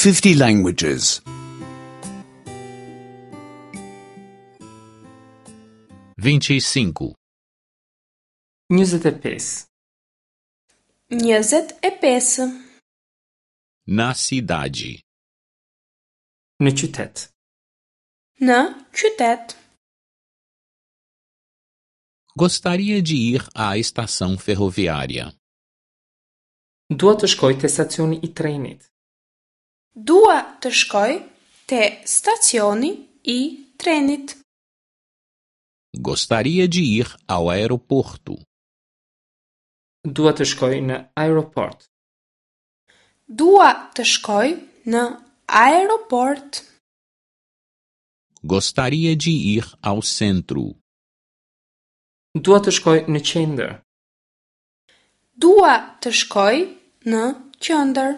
50 languages. 25. 25. 25. Na cidade. Në qytet. Në qytet. Gostaria de ir à estação ferroviária. Dua të shkoj te stacioni i trenit. Dua të shkoj te stacioni i trenit. Gostaria de ir ao aeroporto. Dua të shkoj në aeroport. Dua të shkoj në aeroport. Gostaria de ir ao centro. Dua të shkoj në qendër. Dua të shkoj në qendër.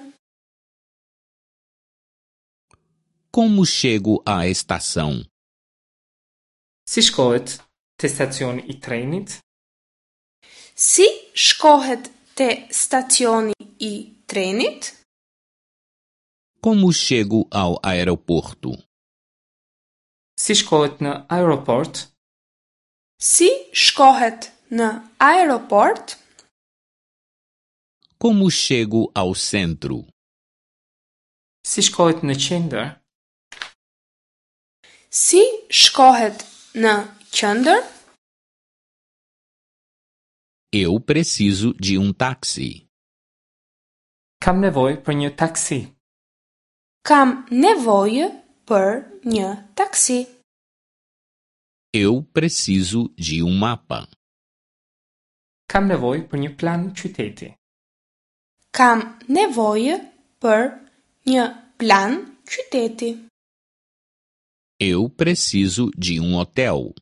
Como chego à estação? Si shkohet te stacioni i trenit? Si shkohet te stacioni i trenit? Como chego ao aeroporto? Si shkohet në aeroport? Si shkohet në aeroport? Como chego ao centro? Si shkohet në qendër? Si shkohet në qendër? Eu preciso de um táxi. Kam nevojë për një taksi. Kam nevojë për një taksi. Eu preciso de um mapa. Kam nevojë për një plan qyteti. Kam nevojë për një plan qyteti. Eu preciso de um hotel.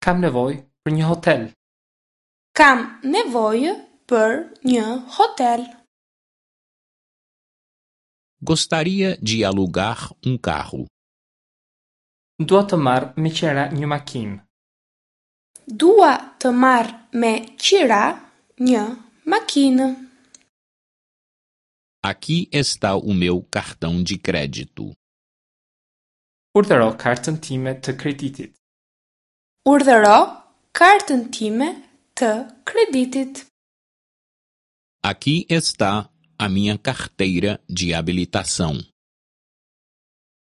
Kam nevojë për një hotel. Kam nevojë për një hotel. Gostaria de alugar um carro. Dua të marr me qera një makinë. Dua të marr me qira një makinë. Aqui está o meu cartão de crédito. Urdhëro kartën time të kreditit. Urdhëro kartën time të kreditit. Aqui está a minha carteira de habilitação.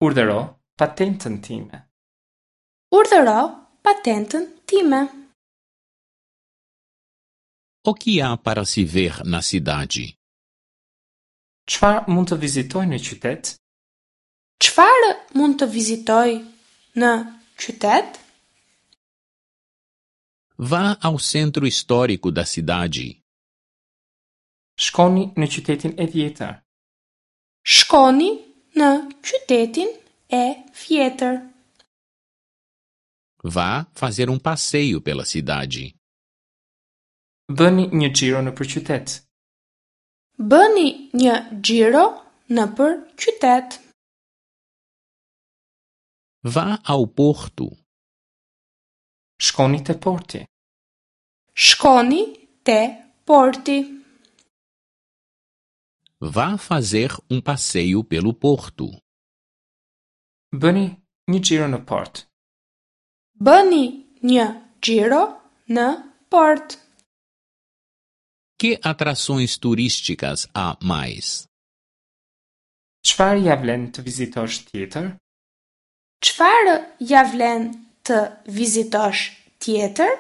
Urdhëro patentën time. Urdhëro patentën time. O que há para se ver na cidade? Çfarë mund të vizitoj në qytet? Çfarë mund të vizitoj në qytet? Vá ao centro histórico da cidade. Shkoni në qytetin e vjetër. Shkoni në qytetin e vjetër. Vá fazer um passeio pela cidade. Bëni një xhiro nëpër qytet. Bëni një xhiro nëpër qytet. Vá ao porto. Shkoni te porti. Shkoni te porti. Vá fazer um passeio pelo porto. Bëni një xhiro në port. Bëni një xhiro në port. Que atrações turísticas há mais? Çfarë ja vlen të vizitosh tjetër? Çfarë ja vlen të vizitosh tjetër?